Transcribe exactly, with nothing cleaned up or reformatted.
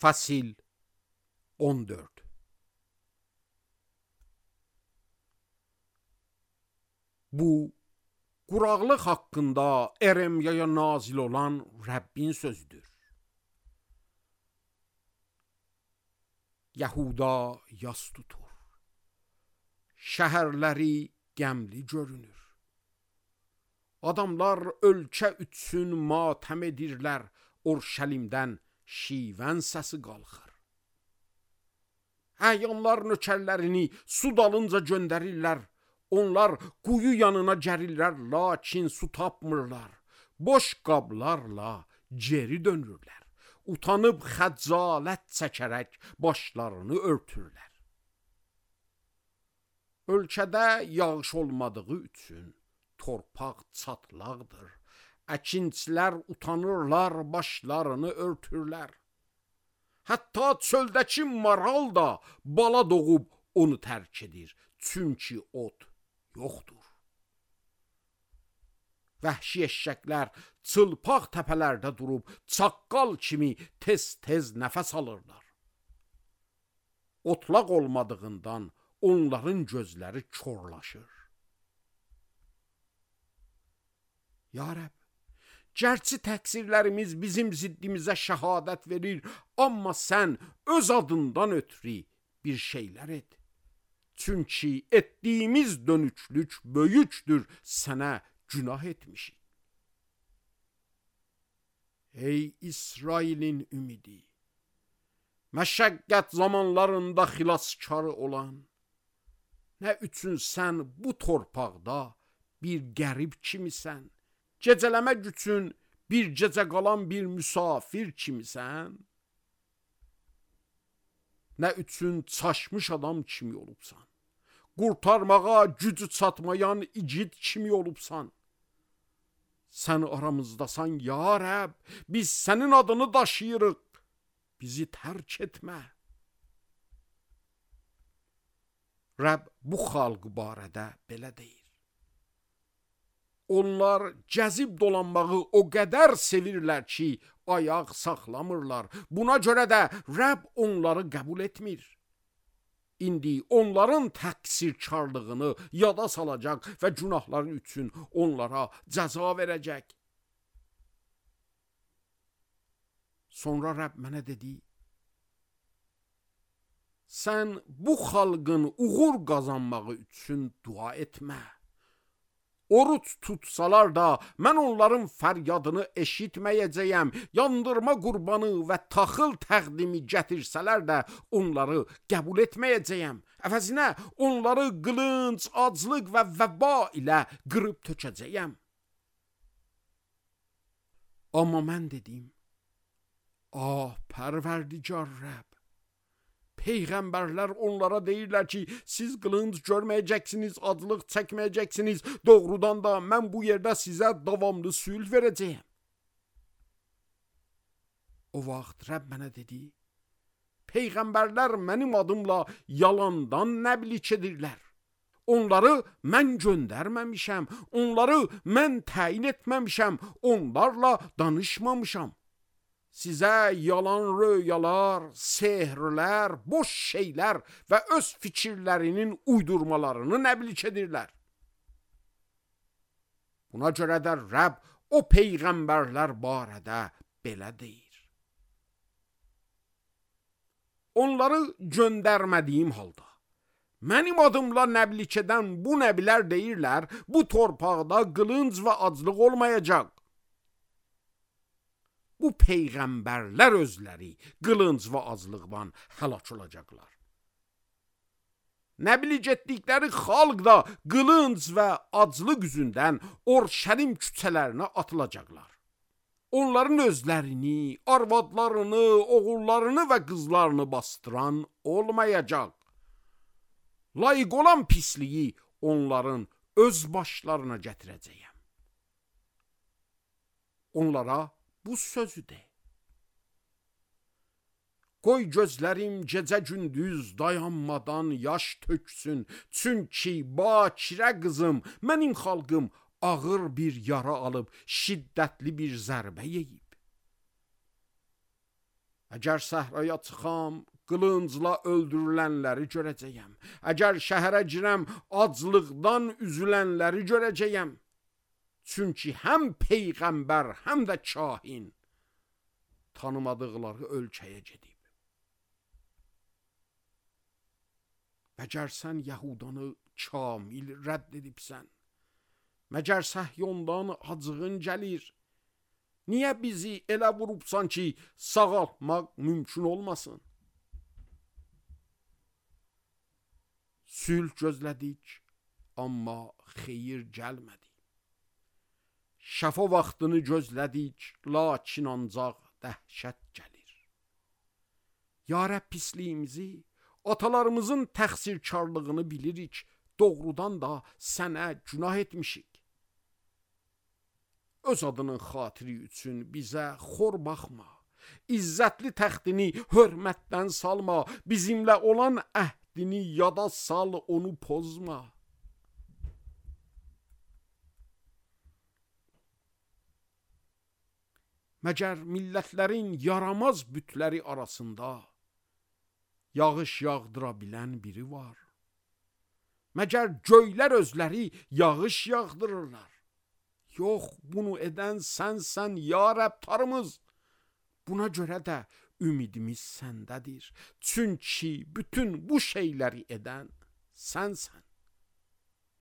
Fasil on dörd. Bu, quraqlıq haqqında Eremyaya nazil olan Rəbbin sözüdür. Yahuda yas tutur, şəhərləri qəmli görünür. Adamlar ölkə üçün matəm edirlər, Orşəlimdən şivən səsi qalxır. Əyanlar nökərlərini su dalınca göndərirlər, onlar quyu yanına gərirlər, lakin su tapmırlar, boş qablarla geri dönürlər, utanıb xəcalət çəkərək başlarını örtürlər. Ölkədə yağış olmadığı üçün torpaq çatlaqdır, əkinçilər utanırlar, başlarını örtürlər. Hətta çöldəki maral da bala doğub onu tərk edir, çünki ot yoxdur. Vəhşi eşşəklər çılpaq təpələrdə durub çaqqal kimi tez-tez nəfəs alırlar. Otlaq olmadığından onların gözləri korlaşır. Ya Rəbb, gərçi təqsirlərimiz bizim ziddimizə şəhadət verir, amma sən öz adından ötürü bir şeylər et. Çünki etdiyimiz dönüklük böyükdür, sənə günah etmişik. Ey İsrailin ümidi, məşəqqət zamanlarında xilaskarı olan, nə üçün sən bu torpaqda bir qərib kimisən, gecələmək üçün bir gecə qalan bir müsafir kimisən, nə üçün çaşmış adam kimi olubsan, qurtarmağa gücü çatmayan igid kimi olubsan. Sən aramızdasan ya Rəbb, biz sənin adını daşıyırıq, bizi tərk etmə. Rəbb bu xalq barədə belə deyir. Onlar gəzib dolanmağı o qədər sevirlər ki, ayaq saxlamırlar. Buna görə də Rəbb onları qəbul etmir. İndi onların təqsirkarlığını yada salacaq və günahları üçün onlara cəza verəcək. Sonra Rəbb mənə dedi, sən bu xalqın uğur qazanmağı üçün dua etmə. Oruç tutsalar da mən onların fəryadını eşitməyəcəyəm, yandırma qurbanı və taxıl təqdimi gətirsələr də onları qəbul etməyəcəyəm. Əvəzinə onları qılınc, aclıq və vəba ilə qırıb tökəcəyəm. Amma mən dedim, ah Pərverdigar Rəbb, Peyğəmbərlər onlara deyirlər ki, siz qılınc görməyəcəksiniz, aclıq çəkməyəcəksiniz, doğrudan da mən bu yerdə sizə davamlı sülh verəcəyəm. O vaxt Rəbb mənə dedi, Peyğəmbərlər mənim adımla yalandan nəblik edirlər. Onları mən göndərməmişəm, onları mən təyin etməmişəm, onlarla danışmamışam. Sizə yalan röyalar, sehrlər, boş şeylər və öz fikirlərinin uydurmalarını nəblik edirlər. Buna görə də Rəbb o peyğəmbərlər barədə belə deyir. Onları göndərmədiyim halda, mənim adımla nəblik edən bu nəbilər deyirlər, bu torpaqda qılınc və aclıq olmayacaq. Bu peyğəmbərlər özləri qılınc və aclıqdan həlak olacaqlar. Nəblik etdikləri xalq da qılınc və aclıq üzündən Orşəlim küçələrinə atılacaqlar. Onların özlərini, arvadlarını, oğullarını və qızlarını bastıran olmayacaq. Layiq olan pisliyi onların öz başlarına gətirəcəyəm. Onlara bu sözü de. Qoy gözlərim gecə gündüz dayanmadan yaş töksün, çünki bakirə qızım, mənim xalqım ağır bir yara alıb, şiddətli bir zərbə yeyib. Əgər səhraya çıxam, qılıncla öldürülənləri görəcəyəm. Əgər şəhərə girəm, aclıqdan üzülənləri görəcəyəm. Çünki həm peyğəmbər, həm də kahin tanımadıqları ölkəyə gedib. Məgər sən Yəhudanı kamil rədd edibsən? Məgər Səhyondan acığın gəlir? Niyə bizi elə vurubsan ki, sağaltmaq mümkün olmasın? Sülh gözlədik, amma xeyir gəlmədi. Şəfa vaxtını gözlədik, lakin ancaq dəhşət gəlir. Ya Rəbb, pisliyimizi, atalarımızın təqsirkarlığını bilirik, doğrudan da sənə günah etmişik. Öz adının xatiri üçün bizə xor baxma. İzzətli təxtini hörmətdən salma. Bizimlə olan əhdini yada sal, onu pozma. Məgər millətlərin yaramaz bütləri arasında yağış yağdıra bilən biri var? Məgər göylər özləri yağış yağdırırlar? Yox, bunu edən sənsən, ya Rəbb Tanrımız. Buna görə də ümidimiz səndədir. Çünki bütün bu şeyləri edən sənsən.